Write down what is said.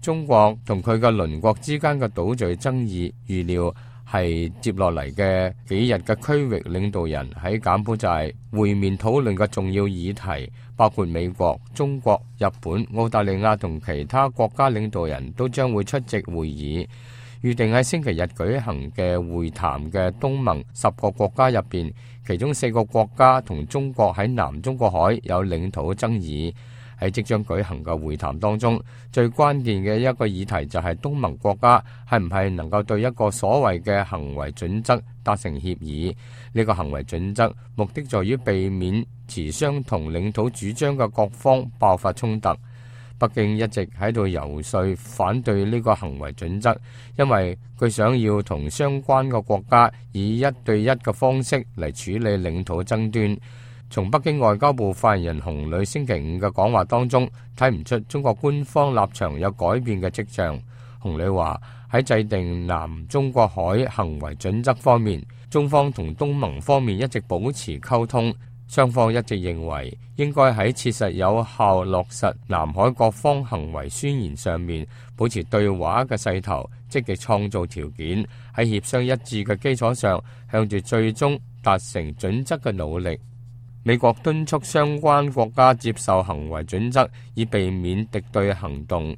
中國同佢嘅鄰國之間嘅島嶼爭議，預料係接落嚟嘅幾日嘅區域領導人喺柬埔寨會面討論嘅重要議題，包括美國、中國、日本、澳大利亞同其他國家領導人都將會出席會議。預定喺星期日舉行嘅會談嘅東盟10個國家入邊，其中4個國家同中國喺南中國海有領土爭議。喺即將舉行嘅會談當中，最關鍵嘅一個議題就係東盟國家係唔係能夠對一個所謂嘅行為準則達成協議。呢個行為準則目的在於避免持相同領土主張嘅各方爆發衝突。北京一直喺度游說反對呢個行為準則，因為佢想要同相關嘅國家以1對1嘅方式嚟處理領土爭端。從北京外交部發言人洪磊星期5嘅講話當中，睇唔出中國官方立場有改變嘅跡象。洪磊話喺制定南中國海行為準則方面，中方同東盟方面一直保持溝通。雙方一直認為應該喺切實有效落實南海各方行為宣言上面保持對話嘅勢頭，積極創造條件，喺協商一致嘅基礎上向住最終達成準則嘅努力。美國敦促相關國家接受行為準則，以避免敵對行動。